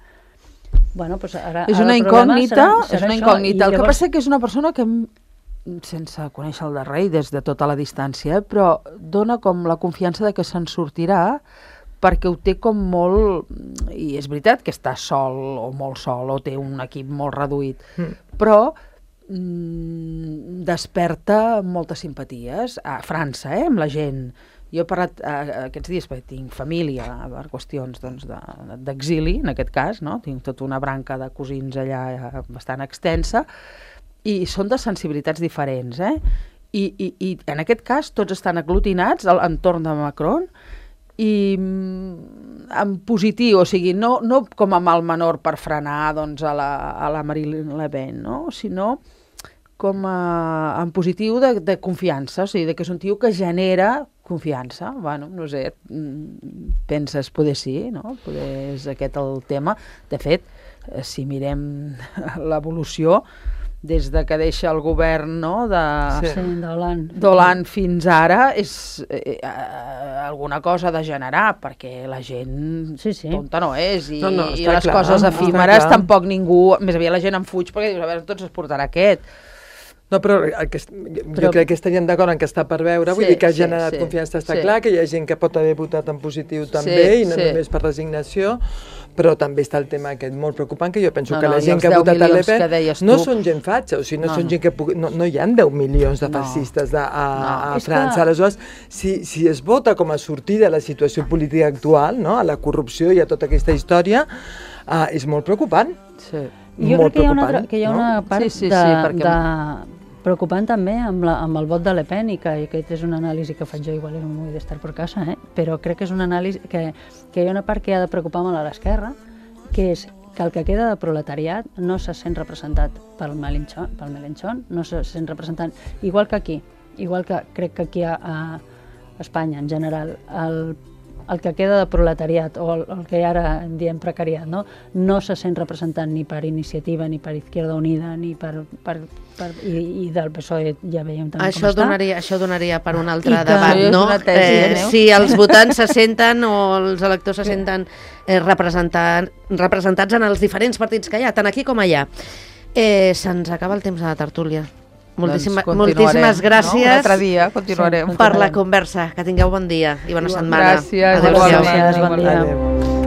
bueno, doncs ara, És ara una el problema incògnita, serà, serà és una això, incògnita. i El que llavors- passa que és una persona que, m- sense conèixer el de rei des de tota la distància, eh, però dona com la confiança de que se'n sortirà perquè ho té com molt... I és veritat que està sol o molt sol o té un equip molt reduït, Mm. però mm, desperta moltes simpaties a França, eh, amb la gent. Jo he parlat eh, aquests dies perquè tinc família per qüestions doncs, de- d'exili, en aquest cas, no? Tinc tota una branca de cosins allà eh, bastant extensa, i són de sensibilitats diferents, eh? I, i, i en aquest cas tots estan aglutinats al entorn de Macron i mm, en positiu, o sigui, no, no com a mal menor per frenar doncs, a, la, a la Marine Le Pen, no? Sinó com a, en positiu de, de confiança, o sigui, de que és un tio que genera confiança. Bueno, no sé, mm, penses, poder sí, no? Poder és aquest el tema. De fet, eh, si mirem l'evolució, des de que deixa el govern, no?, de... Sí. Sí, d'Hollande. d'Hollande fins ara és eh, eh, alguna cosa de generar, perquè la gent Sí, sí. tonta no és, i, No, no, i està les clar, coses està efímeres clar. tampoc ningú, més aviat la gent en fuig perquè dius, a veure, tots es portarà aquest. No, però el que, jo Però- crec que estaríem d'acord en que està per veure, vull Sí, dir que ha sí, generat sí, confiança, està sí. clar, que hi ha gent que pot haver votat en positiu també, i no sí. només per resignació, però també està el tema aquest molt preocupant, que jo penso No, que no, la i gent els que ha deu votat a Le milions que Pen deies no tu. són gent fatxa, o sigui, no, No, són no. gent que pugui, no, no hi ha deu milions de No. fascistes de, a, No. a És França. que- Aleshores, si, si es vota com a sortida a la situació política actual, no? A la corrupció i a tota aquesta història, uh, és molt preocupant. Sí. Jo molt crec que hi ha una, preocupant, altra- que hi ha no? una part Sí, sí, sí, de, perquè- de preocupant també amb, la, amb el vot de Le Pen, i que i aquest és una anàlisi que faig jo, igual és molt d'estar per casa, eh? Però crec que és una anàlisi que, que hi ha una part que ha de preocupar molt a l'esquerra, que és que el que queda de proletariat no se sent representat pel Melenchon, pel Melenchon no se sent representant, igual que aquí, igual que crec que aquí a, a Espanya en general, el el que queda de proletariat, o el, el que ara en diem precariat, no? no se sent representant ni per Iniciativa, ni per Izquierda Unida, ni per... per, per i, i del P S O E ja veiem també Això com donaria, això donaria per un altre I que- debat, Sí, és no? una tesi, eh, Eh, Neus? si els votants se senten o els electors se senten eh, representant, representats en els diferents partits que hi ha, tant aquí com allà. Eh, Se'ns acaba el temps de la tertúlia. Moltíssima, Doncs continuarem, moltíssimes no? gràcies Un altre dia continuarem. Sí, per la conversa. Que tingueu bon dia i bona setmana. Gràcies, Adéu-siau. igualment. Gràcies, bon dia. Adéu.